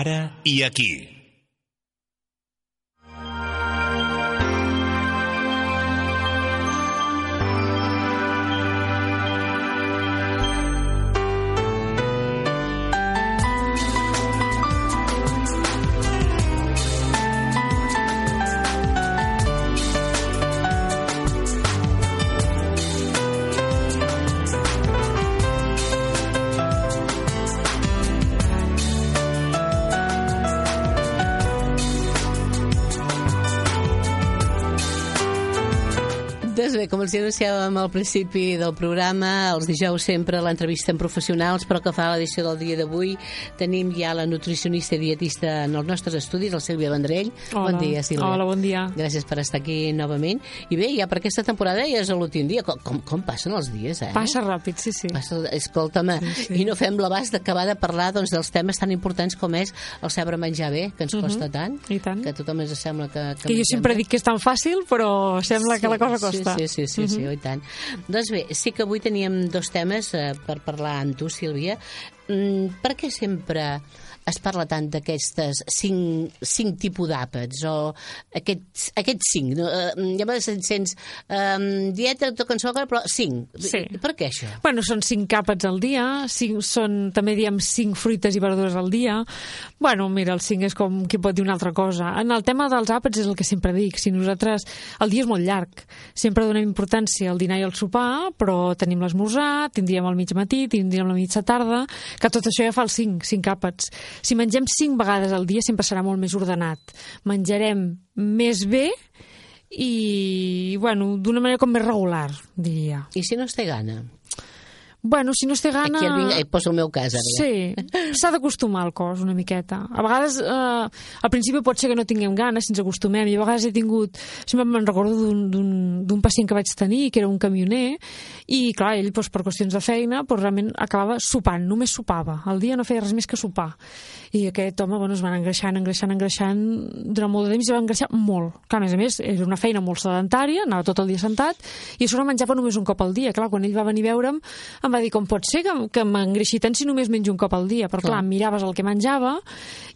Ara i aquí. Doncs bé, com els anunciàvem al principi del programa, els dijous sempre l'entrevista amb professionals, però que fa l'edició del dia d'avui tenim ja la nutricionista i dietista en els nostres estudis, la Sílvia Vendrell. Hola. Bon dia, Sílvia. Hola, bon dia. Gràcies per estar aquí novament. I bé, ja per aquesta temporada ja és l'últim dia. Com passen els dies, eh? Passa ràpid, sí. Escolta'm, sí. I no fem l'abast d'acabar de parlar doncs, dels temes tan importants com és el saber menjar bé, que ens costa tant, I tant. que a tothom ens sembla que jo sempre dic que és tan fàcil, però sembla que la cosa costa. Sí, i tant. Doncs bé, sí que avui teníem dos temes per parlar amb tu, Sílvia. Per què sempre es parla tant d'aquestes cinc tipus d'àpats o aquests cinc? Ja me sents dieta, toca en sucre, però cinc. Sí. Per què això? Bueno, són 5 àpats al dia, també diem 5 fruites i verdures al dia. Bueno, mira, el 5 és com qui pot dir una altra cosa. En el tema dels àpats és el que sempre dic. Si nosaltres... El dia és molt llarg. Sempre donem importància al dinar i al sopar, però tenim l'esmorzar, tindríem el mig matí, tindríem la mitja tarda, que tot això ja fa els 5 àpats. Si mengem 5 vegades al dia sempre serà molt més ordenat. Menjarem més bé i, bueno, d'una manera com més regular, diria. I si no es té gana? Bueno, si no es té gana... Aquí poso el meu cas, ara. Sí, s'ha d'acostumar al cos una miqueta. A vegades, al principi pot ser que no tinguem ganes si ens acostumem. I a vegades he tingut... Sempre me'n recordo d'un pacient que vaig tenir, que era un camioner, i clar, ell doncs, per qüestions de feina realment acabava sopant, només sopava. Al dia no feia res més que sopar. I aquest home es van engreixant durant molt de temps i va engreixar molt. Clar, a més, era una feina molt sedentària, anava tot el dia sentat, i a sobre menjava només un cop al dia. Clar, quan ell va venir a veure'm, em va dir, com pot ser que m'engreixi tant si només menjo un cop al dia? Però clar, miraves el que menjava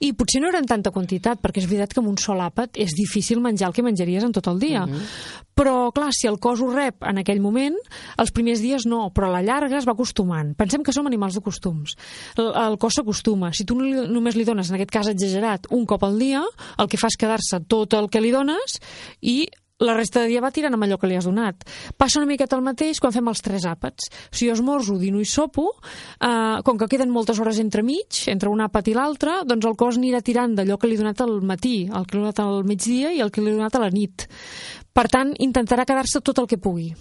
i potser no era en tanta quantitat, perquè és veritat que amb un sol àpat és difícil menjar el que menjaries en tot el dia. Però clar, si el cos ho rep en aquell moment, els primers dies no, però a la llarga es va acostumant. Pensem que som animals de costums. El cos s'acostuma. Si tu només li dones, en aquest cas exagerat, un cop al dia, el que fa és quedar-se tot el que li dones i la resta de dia va tirant amb allò que li has donat. Passa una miqueta el mateix quan fem els 3 àpats. Si jo esmorzo, dino i sopo, com que queden moltes hores entremig, entre un àpat i l'altre, doncs el cos anirà tirant d'allò que li he donat al matí, el que li he donat al migdia i el que li he donat a la nit. Per tant, intentarà quedar-se tot el que pugui.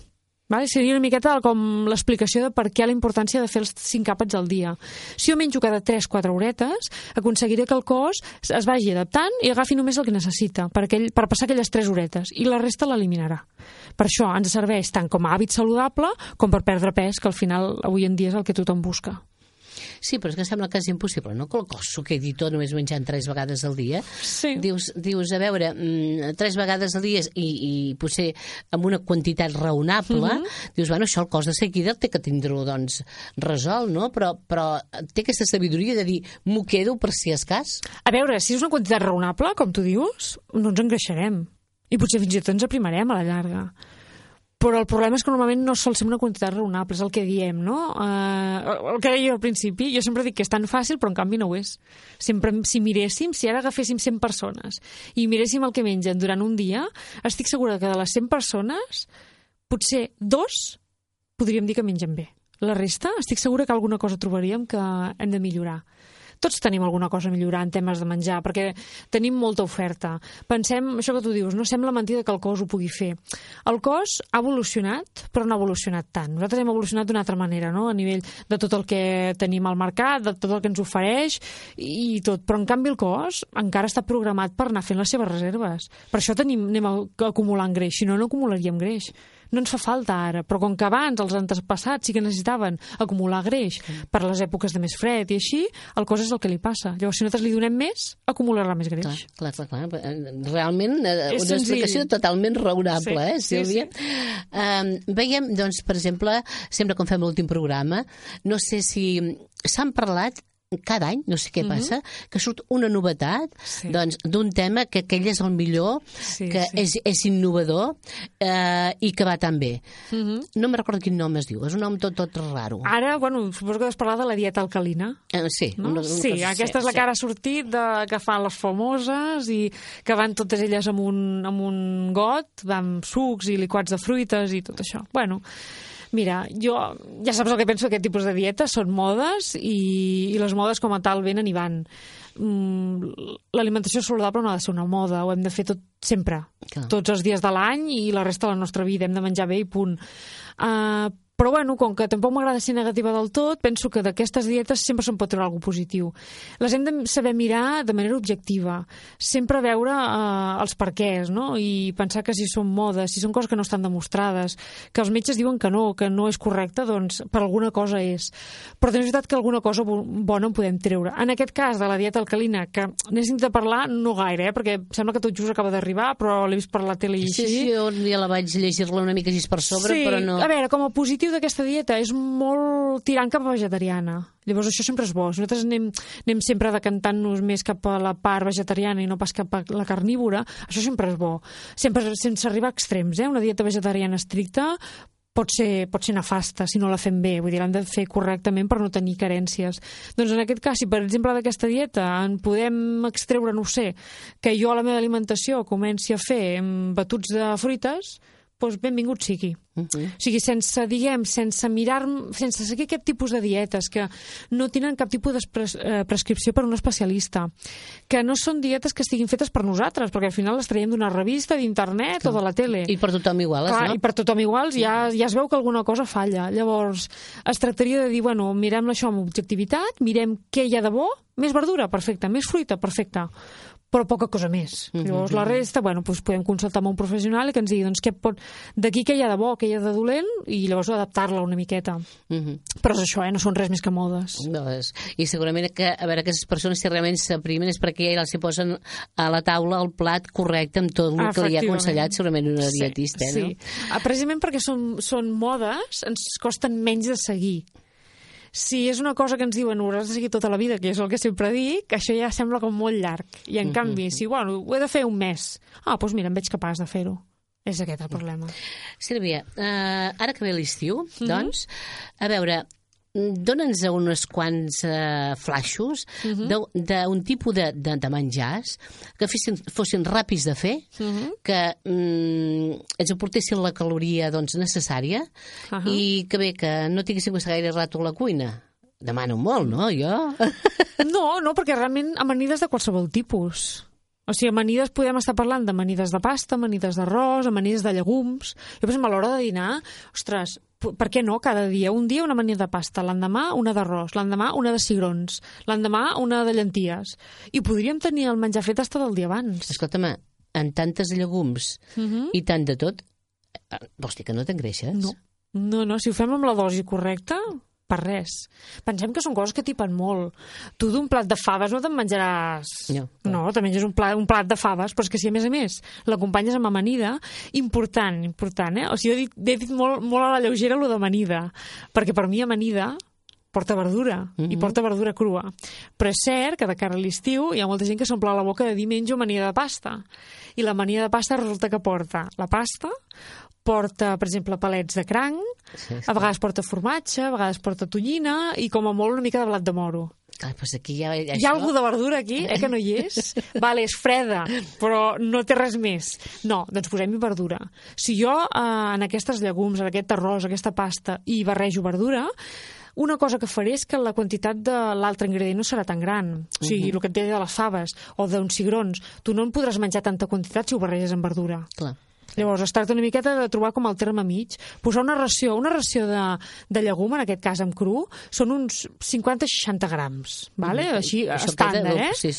Vale? Seria una miqueta com l'explicació de per què la importància de fer els 5 àpats al dia. Si jo menjo cada 3-4 horetes, aconseguiré que el cos es vagi adaptant i agafi només el que necessita per passar aquelles 3 horetes i la resta l'eliminarà. Per això ens serveix tant com a hàbit saludable com per perdre pes, que al final avui en dia és el que tothom busca. Sí, però és que sembla que és impossible, no? Que el cos s'ho quedi tot només menjant 3 vegades al dia. Sí. Dius, a veure, 3 vegades al dia i potser amb una quantitat raonable, dius, bueno, això el cos de seguida té que tindre-ho, doncs, resolt, no? Però té aquesta sabidoria de dir, m'ho quedo per si és cas. A veure, si és una quantitat raonable, com tu dius, no ens engreixarem. I potser fins i tot ens aprimarem a la llarga. Però el problema és que normalment no sol ser una quantitat raonable, és el que diem, no? El que deia al principi, jo sempre dic que és tan fàcil, però en canvi no ho és. Sempre, si miréssim, si ara agaféssim 100 persones i miréssim el que mengen durant un dia, estic segura que de les 100 persones, potser 2 podríem dir que mengen bé. La resta, estic segura que alguna cosa trobaríem que hem de millorar. Tots tenim alguna cosa a millorar en temes de menjar, perquè tenim molta oferta. Pensem, això que tu dius, no sembla mentida que el cos ho pugui fer. El cos ha evolucionat, però no ha evolucionat tant. Nosaltres hem evolucionat d'una altra manera, no? A nivell de tot el que tenim al mercat, de tot el que ens ofereix i tot. Però en canvi el cos encara està programat per anar fent les seves reserves. Per això anem acumulant greix, si no, no acumularíem greix. No ens fa falta ara, però com que abans els antepassats sí que necessitaven acumular greix per les èpoques de més fred i així, el cos és el que li passa. Llavors, si nosaltres li donem més, acumularà més greix. Clar. Realment, una explicació totalment raonable, Sílvia? Sí. Veiem, doncs, per exemple, sempre quan fem l'últim programa, no sé si s'han parlat cada any, no sé què passa, que surt una novetat doncs, d'un tema que aquell és el millor, que és innovador i que va tan bé. No me'n recordo quin nom es diu, és un nom tot raro. Ara, bueno, suposo que has parlat de la dieta alcalina. Sí. No? Aquesta és la que ara ha sortit, que fan les famoses i que van totes elles amb un got, amb sucs i liquats de fruites i tot això. Bueno, mira, jo ja saps el que penso d'aquest tipus de dietes, són modes i les modes com a tal venen i van. L'alimentació saludable no ha de ser una moda, ho hem de fer tot sempre, tots els dies de l'any i la resta de la nostra vida, hem de menjar bé i punt. Però bueno, com que tampoc m'agrada ser negativa del tot, penso que d'aquestes dietes sempre se'n pot treure alguna positiu. Les hem de saber mirar de manera objectiva, sempre veure els perquès, no? I pensar que si són modes, si són coses que no estan demostrades, que els metges diuen que no és correcte, doncs per alguna cosa és. Però és veritat que alguna cosa bona en podem treure. En aquest cas de la dieta alcalina, que n'he sentit a parlar no gaire, perquè sembla que tot just acaba d'arribar, però l'he vist per la tele i així. Sí, un dia la vaig llegir-la una mica així per sobre, però no... A veure, com a positiu d'aquesta dieta és molt tirant cap a vegetariana. Llavors això sempre és bo. Nosaltres anem sempre decantant-nos més cap a la part vegetariana i no pas cap a la carnívora. Això sempre és bo. Sempre sense arribar a extrems. Una dieta vegetariana estricta pot ser nefasta si no la fem bé. Vull dir, l'hem de fer correctament per no tenir carències. Doncs en aquest cas, si per exemple d'aquesta dieta en podem extreure, no ho sé, que jo a la meva alimentació comenci a fer batuts de fruites, doncs benvingut sigui. O sigui, sense seguir aquest tipus de dietes que no tenen cap tipus de prescripció per un especialista, que no són dietes que estiguin fetes per nosaltres, perquè al final les traiem d'una revista, d'internet o de la tele. I per tothom igual, no? I per tothom igual, ja es veu que alguna cosa falla. Llavors, es tractaria de dir, bueno, mirem això amb objectivitat, mirem què hi ha de bo, més verdura, perfecte, més fruita, perfecte, però poca cosa més. Llavors la resta, bueno, doncs podem consultar amb un professional i que ens digui, doncs, d'aquí què hi ha de bo, què hi ha de dolent, i llavors adaptar-la una miqueta. Però és això, no són res més que modes. I segurament que, a veure, aquestes persones si realment s'aprimen és perquè ja els posen a la taula el plat correcte amb tot el que li ha aconsellat segurament una dietista, no? Sí, precisament perquè són modes, ens costen menys de seguir. Si és una cosa que ens diuen hauràs de seguir tota la vida, que és el que sempre dic, això ja sembla com molt llarg. I en canvi, si bueno, ho he de fer un mes, doncs mira, em veig capaç de fer-ho. És aquest el problema. Sílvia, ara que ve l'estiu, doncs, a veure, dóna'ns uns quants flaixos d'un tipus de menjars que fossin ràpids de fer, que ens aportessin la caloria necessària i que bé, que no tinguéssim que gaire rato a la cuina. Demano molt, no, jo? No, perquè realment amanides de qualsevol tipus. O sigui, amanides podem estar parlant d'amanides de pasta, amanides d'arròs, amanides de llegums. Jo, per exemple, a l'hora de dinar, ostres, per què no? Cada dia, un dia una amanida de pasta, l'endemà una d'arròs, l'endemà una de cigrons, l'endemà una de llenties. I podríem tenir el menjar fet fins del dia abans. Escolta'm, amb tantes llegums i tant de tot, vols dir que no t'engreixes? No, si ho fem amb la dosi correcta, per res. Pensem que són coses que tipen molt. Tu d'un plat de faves no te'n menjaràs... No, te menges un plat de faves, però és que si a més l'acompanyes amb amanida, important, O sigui, he dit molt a la lleugera allò d'amanida, perquè per mi amanida porta verdura, i porta verdura crua. Però és cert que de cara a l'estiu hi ha molta gent que s'omple la boca de dir menjo amanida de pasta. I l'amanida de pasta resulta que porta la pasta, porta, per exemple, palets de cranc, a vegades porta formatge, a vegades porta tonyina i, com a molt, una mica de blat de moro. Pues aquí hi ha alguna de verdura aquí, que no hi és? Vale, és freda, però no té res més. No, doncs posem-hi verdura. Si jo en aquestes llegums, en aquest arròs, aquesta pasta, hi barrejo verdura, una cosa que faré és que la quantitat de l'altre ingredient no serà tan gran. O sigui, el que et deia de les faves o d'uns cigrons, tu no en podràs menjar tanta quantitat si ho barreges amb verdura. Clar. Llavors, es tracta una miqueta de trobar com el terme mig, posar una ració de llegum, en aquest cas amb cru, són uns 50-60 grams, vale? Així, estàndard, Sí.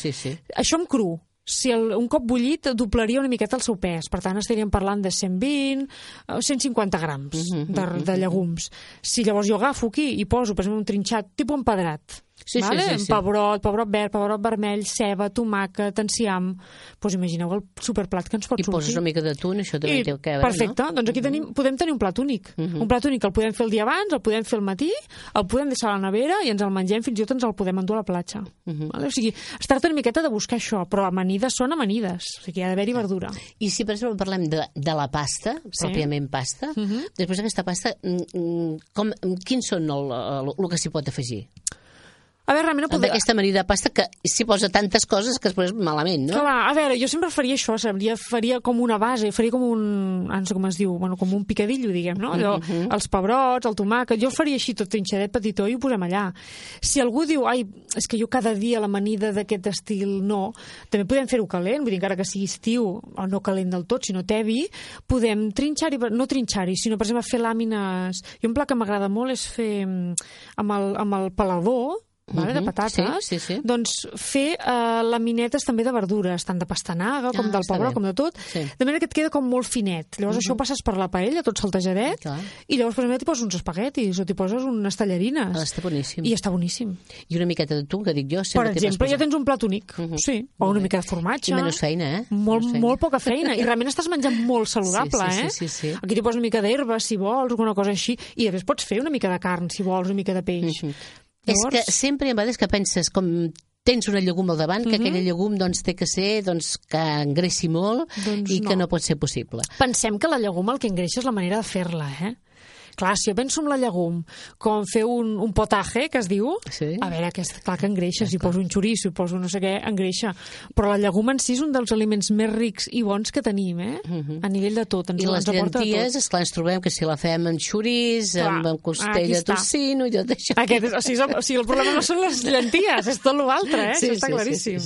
Això amb cru. Si un cop bullit doblaria una miqueta el seu pes, per tant estaríem parlant de 120 o 150 grams de llegums. Si llavors jo agafo aquí i poso, per exemple, un trinxat tipus empedrat, Sí, vale? sí, sí, sí. Pebrot verd, pebrot vermell, ceba, tomàquet, enciam. Doncs imagineu el superplat que ens pot I sortir. poses una mica d'atún, això també té que veure, perfecte, no? doncs aquí podem tenir un plat únic. Un plat únic que el podem fer el dia abans, el podem fer al matí, el podem deixar a la nevera i ens el mengem, fins i tot ens el podem endur a la platja. Vale? O sigui, es tracta una miqueta de buscar això, però amanides són amanides, o sigui, hi ha d'haver-hi verdura. I si, per exemple, parlem de la pasta, pròpiament pasta, després d'aquesta pasta, quins són el que s'hi pot afegir? A veure, realment d'aquesta amanida de pasta que s'hi posa tantes coses que després malament, no? Clar, a veure, jo sempre faria això, faria com una base, faria com un, no sé com es diu, bueno, com un picadillo, diguem, no? Allò, els pebrots, el tomàquet, jo faria així tot trinxadet petitó i ho posem allà. Si algú diu, ai, és que jo cada dia l'amanida d'aquest estil no, també podem fer-ho calent, vull dir, encara que sigui estiu, o no calent del tot, sinó tebi, podem trinxar-hi, no trinxar-hi, sinó, per exemple, fer làmines. I un plat que m'agrada molt és fer amb el pelador, de patates, doncs fer laminetes també de verdures, tant de pastanaga com del pebrot, com de tot, de manera que et queda com molt finet. Llavors això ho passes per la paella, tot saltejadet, i llavors per exemple t'hi poses uns espaguetis o t'hi poses unes tallarines. Està boníssim. I està boníssim. I una miqueta de tu, que dic jo. Per exemple, ja tens un plat únic, sí, o una mica de formatge. I menys feina, Molt poca feina, i realment estàs menjant molt saludable, Sí. Aquí t'hi poses una mica d'herba, si vols, alguna cosa així, i després pots fer una mica de carn, si vols, una mica de peix. És que sempre hi ha vegades que penses, com tens una llegum al davant, que aquella llegum té que ser que engressi molt i que no pot ser possible. Pensem que la llegum el que engreixa és la manera de fer-la, Clar, si jo penso en la llegum com fer un potaje, que es diu, a veure, clar que engreixa, si poso un xoriço, si poso no sé què, engreixa. Però la llegum en si és un dels aliments més rics i bons que tenim, a nivell de tot. I les llenties, esclar, ens trobem que si la fem amb xoriç, amb costella de tocino i tot això. O sigui, el problema no són les llenties, és tot l'altre, això està claríssim.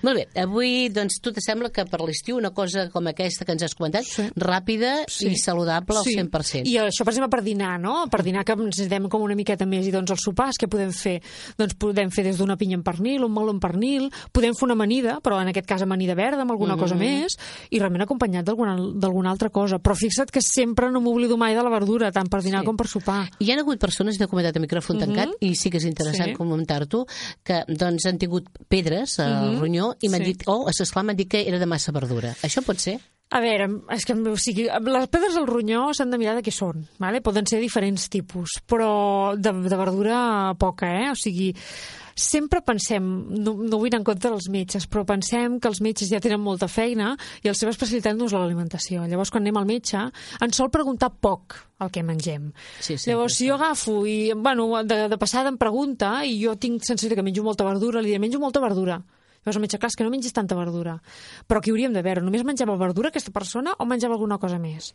Molt bé, avui, doncs, tu te sembla que per l'estiu una cosa com aquesta que ens has comentat, ràpida i saludable al 100%. I això, per exemple, per dinar, no? Per dinar que necessitem com una miqueta més, i doncs els sopars, què podem fer? Doncs podem fer des d'una pinya en pernil, un meló en pernil, podem fer una amanida, però en aquest cas amanida verda amb alguna cosa més, i realment acompanyat d'alguna altra cosa. Però fixa't que sempre no m'oblido mai de la verdura, tant per dinar com per sopar. Hi ha hagut persones, n'he comentat a micròfon tancat, i sí que és interessant comentar-t'ho, que doncs han tingut pedres al ronyó i m'han dit, esclar, m'han dit que era de massa verdura. Això pot ser? A veure, és que les pedres al ronyó s'han de mirar de què són, vale? Poden ser diferents tipus, però de verdura poca, O sigui, sempre pensem, no vull anar en compte dels metges, però pensem que els metges ja tenen molta feina i la seva especialitat no és l'alimentació. Llavors, quan anem al metge, ens sol preguntar poc el que mengem. Llavors, si jo agafo i, de passada em pregunta i jo tinc sensació que menjo molta verdura, li diré, menjo molta verdura. Llavors el metge, clar, és que no mengis tanta verdura. Però aquí hauríem de veure, només menjava verdura aquesta persona o menjava alguna cosa més?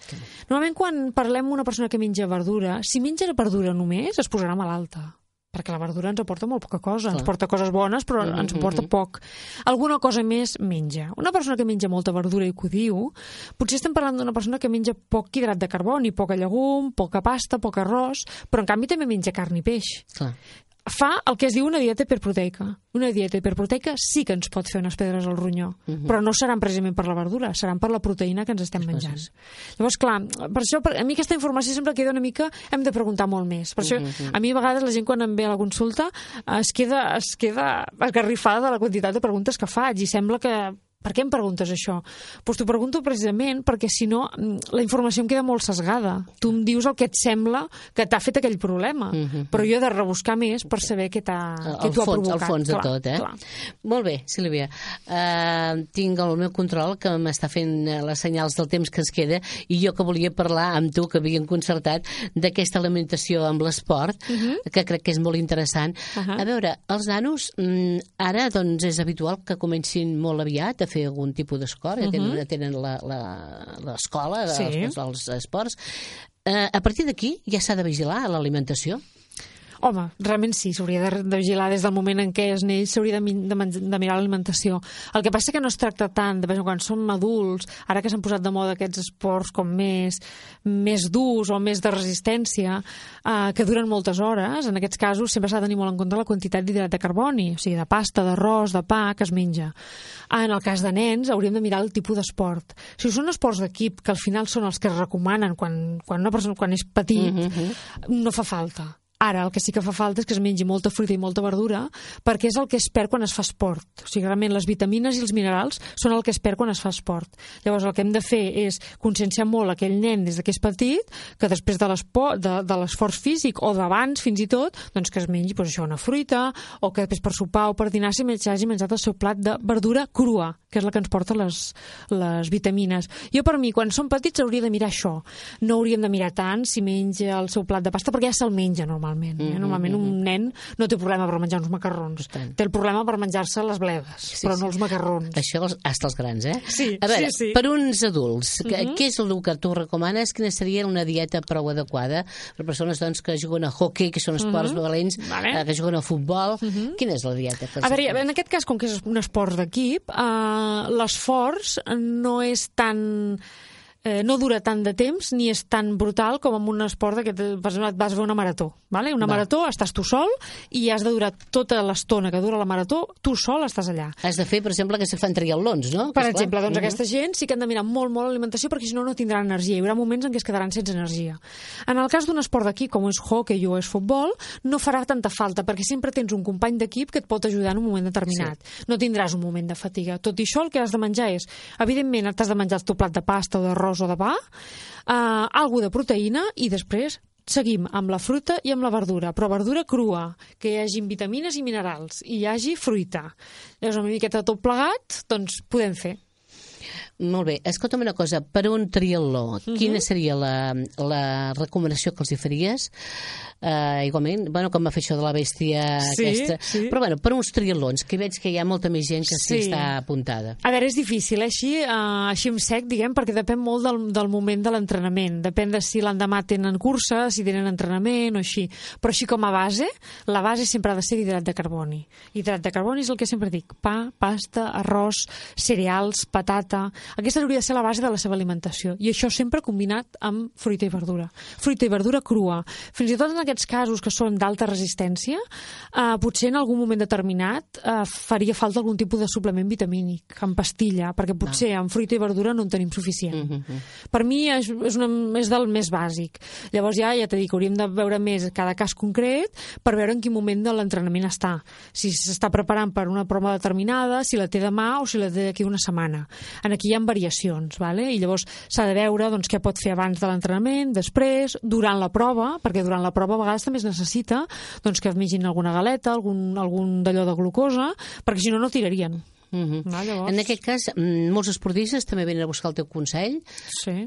Normalment quan parlem amb una persona que menja verdura, si menja verdura només, es posarà malalta. Perquè la verdura ens aporta molt poca cosa. Ens porta coses bones, però ens aporta poc. Alguna cosa més menja. Una persona que menja molta verdura i que ho diu, potser estem parlant d'una persona que menja poc hidrat de carboni, poca llegum, poca pasta, poc arròs, però en canvi també menja carn i peix. Fa el que es diu una dieta hiperproteica. Una dieta hiperproteica sí que ens pot fer unes pedres al ronyó, però no seran precisament per la verdura, seran per la proteïna que ens estem menjant. Llavors, clar, per això a mi aquesta informació sempre queda una mica... Hem de preguntar molt més. Per això, a mi a vegades la gent quan em ve a la consulta es queda esgarrifada de la quantitat de preguntes que faig i sembla que... Per què em preguntes això? Doncs t'ho pregunto precisament perquè, si no, la informació em queda molt sesgada. Tu em dius el que et sembla que t'ha fet aquell problema, però jo he de rebuscar més per saber què t'ho ha provocat. El fons de tot, Molt bé, Sílvia. Tinc el meu control que m'està fent les senyals del temps que ens queda i jo que volia parlar amb tu, que havíem concertat, d'aquesta alimentació amb l'esport, que crec que és molt interessant. A veure, els nanos ara doncs és habitual que comencin molt aviat a fer algun tipus d'esport, tenen l'escola dels esports. A partir d'aquí ja s'ha de vigilar l'alimentació? Home, realment sí, s'hauria de vigilar des del moment en què es neix, s'hauria de mirar l'alimentació. El que passa que no es tracta tant de quan som adults, ara que s'han posat de moda aquests esports com més durs o més de resistència, que duren moltes hores, en aquests casos sempre s'ha de tenir molt en compte la quantitat d'hidrat de carboni, o sigui, de pasta, d'arròs, de pa que es menja. En el cas de nens hauríem de mirar el tipus d'esport. Si són esports d'equip, que al final són els que es recomanen quan una persona és petit, no fa falta. Ara, el que sí que fa falta és que es mengi molta fruita i molta verdura, perquè és el que es perd quan es fa esport. O sigui, realment les vitamines i els minerals són el que es perd quan es fa esport. Llavors, el que hem de fer és conscienciar molt aquell nen des que és petit, que després de l'esforç físic o d'abans fins i tot, doncs que es mengi això, una fruita, o que després per sopar o per dinar hagi menjat el seu plat de verdura crua, que és la que ens porta les vitamines. Jo, per mi, quan som petits hauria de mirar això. No hauríem de mirar tant si menja el seu plat de pasta, perquè ja se'l menja normalment. Normalment un nen no té problema per menjar uns macarrons. Té el problema per menjar-se les bledes, però no els macarrons. Això hasta els grans, eh? Sí, a veure, sí. Per uns adults, què és el que tu recomanes? Quina seria una dieta prou adequada per persones doncs, que juguen a hoquei, que són esports valents, que juguen a futbol? Quina és la dieta? A veure, en aquest cas, com que és un esport d'equip, l'esforç no és tan... no dura tant de temps ni és tan brutal com en un esport que vas a fer una marató. Vale? Una marató, estàs tu sol i has de durar tota l'estona que dura la marató, tu sol estàs allà. Has de fer, per exemple, que se fan triatlons, no? Per exemple, doncs aquesta gent sí que han de mirar molt l'alimentació perquè si no, no tindran energia. Hi haurà moments en què es quedaran sense energia. En el cas d'un esport d'equip, com és hockey o és futbol, no farà tanta falta perquè sempre tens un company d'equip que et pot ajudar en un moment determinat. Sí. No tindràs un moment de fatiga. Tot i això, el que has de menjar és, evidentment, t'has de menjar el teu plat de pasta o d'arròs o de pa, alguna de proteïna i després seguim amb la fruita i amb la verdura, però verdura crua, que hi hagi vitamines i minerals i hi hagi fruita. Llavors, una miqueta tot plegat, doncs podem fer. Molt bé. Escolta'm una cosa, per un triatló, quina seria la recomanació que els hi faries? Igualment, com va fer això de la bèstia aquesta. Sí. Però per uns triatlons, que veig que hi ha molta més gent que s'hi està apuntada. A veure, és difícil, així en sec, diguem, perquè depèn molt del moment de l'entrenament. Depèn de si l'endemà tenen cursa, si tenen entrenament o així. Però així com a base, la base sempre ha de ser d'hidrat de carboni. Hidrat de carboni és el que sempre dic. Pa, pasta, arròs, cereals, patata... Aquesta hauria de ser la base de la seva alimentació. I això sempre combinat amb fruita i verdura. Fruita i verdura crua. Fins i tot en aquests casos que són d'alta resistència, potser en algun moment determinat faria falta algun tipus de suplement vitamínic, en pastilla, perquè potser amb fruita i verdura no en tenim suficient. Per mi és del més bàsic. Llavors ja t'he dit que hauríem de veure més cada cas concret per veure en quin moment de l'entrenament està. Si s'està preparant per una prova determinada, si la té demà o si la té d'aquí una setmana. Aquí hi ha variacions, vale? I llavors s'ha de veure què pot fer abans de l'entrenament, després, durant la prova, perquè durant la prova a vegades també es necessita que es mengin alguna galeta, algun d'allò de glucosa, perquè si no, no tirarien. En aquest cas, molts esportistes també venen a buscar el teu consell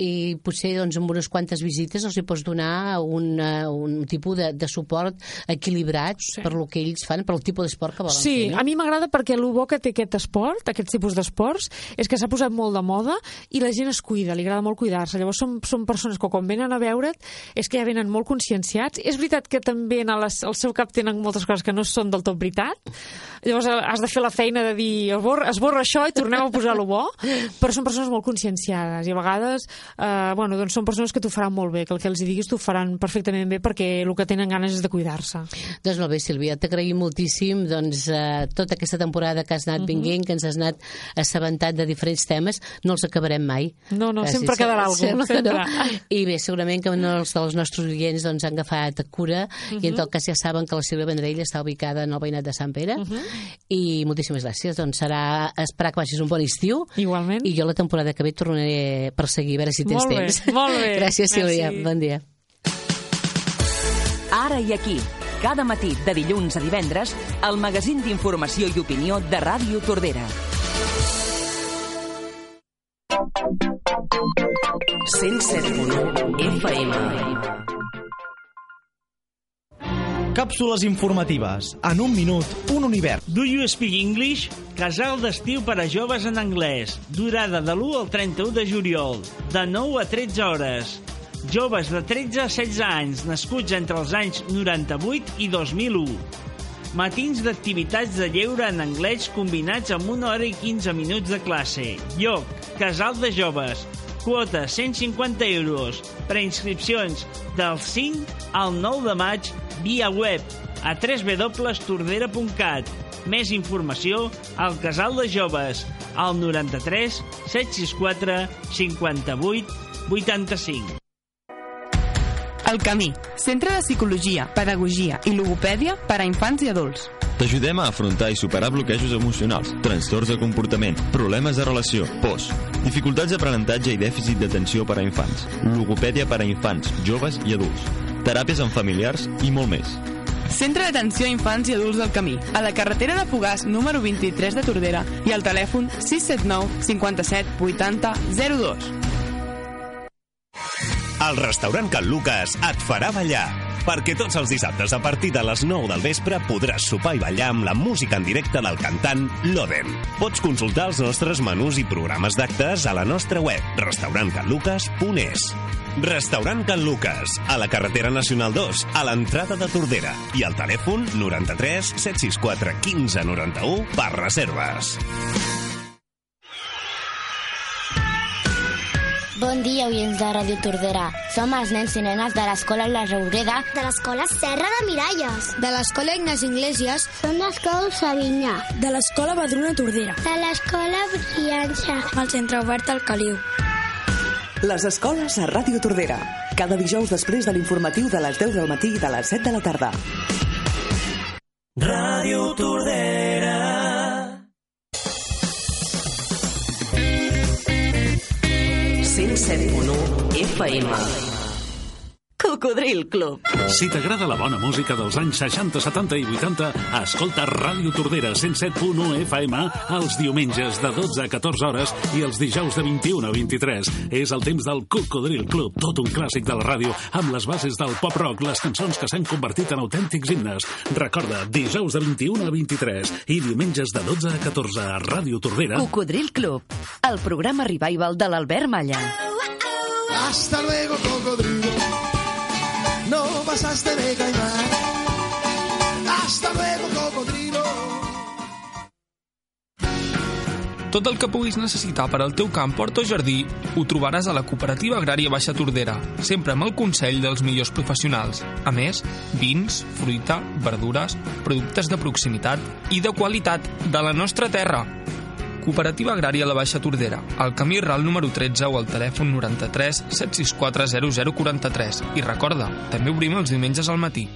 i potser amb unes quantes visites els hi pots donar un tipus de suport equilibrat per lo que ells fan, per el tipus d'esport que volen fer. Sí, a mi m'agrada perquè el bo que té aquest esport, aquest tipus d'esports, és que s'ha posat molt de moda i la gent es cuida, li agrada molt cuidar-se. Llavors són persones que quan venen a veure't és que ja venen molt conscienciats. És veritat que també al seu cap tenen moltes coses que no són del tot veritat. Llavors has de fer la feina de dir esborra això i tornem a posar-lo bo, però són persones molt conscienciades i a vegades són persones que t'ho faran molt bé, que el que els diguis t'ho faran perfectament bé perquè el que tenen ganes és de cuidar-se. Doncs molt bé, Sílvia, t'agraïm moltíssim tota aquesta temporada que has anat vinguent, que ens has anat assabentat de diferents temes, no els acabarem mai. No, sempre quedarà alguna cosa. No. I bé, segurament que els dels nostres oients han agafat cura i en tot cas ja saben que la Sílvia Vendrell està ubicada en el veïnat de Sant Pere i moltíssimes gràcies. Doncs serà esperar que vagis un bon estiu. Igualment. I jo la temporada que ve tornaré per seguir, a veure si tens temps. Molt bé. Gràcies, Sílvia. Bon dia. Ara i aquí, cada matí de dilluns a divendres, el magazín d'informació i opinió de Ràdio Tordera. 107.1 FM. Càpsules informatives. En un minut, un univers. Do you speak English? Casal d'estiu per a joves en anglès. Durada de l'1 al 31 de juliol. De 9 a 13 hores. Joves de 13 a 16 anys, nascuts entre els anys 98 i 2001. Matins d'activitats de lleure en anglès combinats amb 1 hora i 15 minuts de classe. Lloc, Casal de Joves. Quota 150 euros. Preinscripcions del 5 al 9 de maig via web a www.tordera.cat. Més informació al Casal de Joves al 93 764 58 85. El Camí, centre de psicologia, pedagogia i logopèdia per a infants i adults. T'ajudem a afrontar i superar bloquejos emocionals, trastorns de comportament, problemes de relació, pors, dificultats d'aprenentatge i dèficit d'atenció per a infants, logopèdia per a infants, joves i adults, teràpies amb familiars i molt més. Centre d'atenció a infants i adults del Camí, a la carretera de Fogars número 23 de Tordera i al telèfon 679 57 80 02. El restaurant Can Lucas et farà ballar, perquè tots els dissabtes a partir de les 9 del vespre podràs sopar i ballar amb la música en directe del cantant Loden. Pots consultar els nostres menús i programes d'actes a la nostra web restaurantcanlucas.es. Restaurant Can Lucas, a la carretera nacional 2, a l'entrada de Tordera, i al telèfon 93 764 15 91 per reserves. Bon dia, oients de Ràdio Tordera. Som els nens i nenes de l'Escola La Roureda, de l'Escola Serra de Miralles, de l'Escola Ignasi Iglesias, som l'Escola Savinyà, de l'Escola Badruna Tordera, de l'Escola Briança, al Centre Obert al Caliu. Les escoles a Ràdio Tordera, cada dijous després de l'informatiu de les 10 del matí i de les 7 de la tarda. Ràdio Tordera. FM. Cocodril Club. Si t'agrada la bona música dels anys 60, 70 i 80, escolta Ràdio Tordera 107.1 FM els diumenges de 12 a 14 hores i els dijous de 21 a 23. És el temps del Cocodril Club, tot un clàssic de la ràdio amb les bases del pop-rock, les cançons que s'han convertit en autèntics himnes. Recorda, dijous de 21 a 23 i diumenges de 12 a 14 a Ràdio Tordera. Cocodril Club, el programa revival de l'Albert Malla. Hasta luego, cocodrilo. No pasaste de caimán. Hasta luego, cocodrilo. Tot el que puguis necessitar per al teu camp, hort o jardí ho trobaràs a la Cooperativa Agrària Baixa Tordera, sempre amb el consell dels millors professionals. A més, vins, fruita, verdures, productes de proximitat i de qualitat de la nostra terra. Cooperativa Agrària La Baixa Tordera, al camí Ral número 13 o al telèfon 93 764 0043. I recorda, també obrim els diumenges al matí.